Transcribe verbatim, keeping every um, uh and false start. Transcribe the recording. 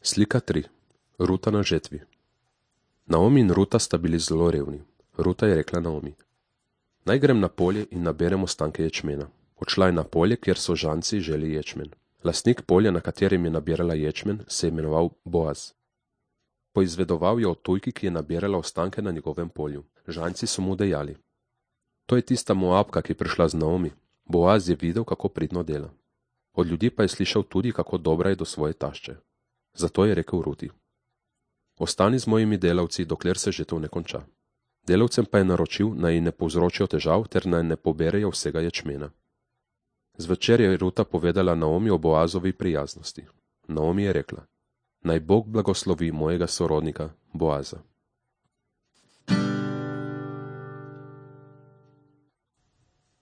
Slika tri. Ruta na žetvi. Naomi in Ruta sta bili zelo revni. Ruta je rekla Naomi: Naj grem na polje in naberem ostanke ječmena. Odšla je na polje, kjer so žanci želi ječmen. Lastnik polja, na katerem je nabirala ječmen, se je imenoval Boaz. Poizvedoval je o tujki, ki je nabirala ostanke na njegovem polju. Žanci so mu dejali: To je tista Moabka, ki je prišla z Naomi. Boaz je videl, kako pridno dela. Od ljudi pa je slišal tudi, kako dobra je do svoje tašče. Zato je rekel Ruti: Ostani z mojimi delavci, dokler se žetev ne konča. Delavcem pa je naročil, naj ji ne povzročijo težav ter naj ne poberejo vsega ječmena. Zvečer je Ruta povedala Naomi o Boazovi prijaznosti. Naomi je rekla: Naj Bog blagoslovi mojega sorodnika Boaza.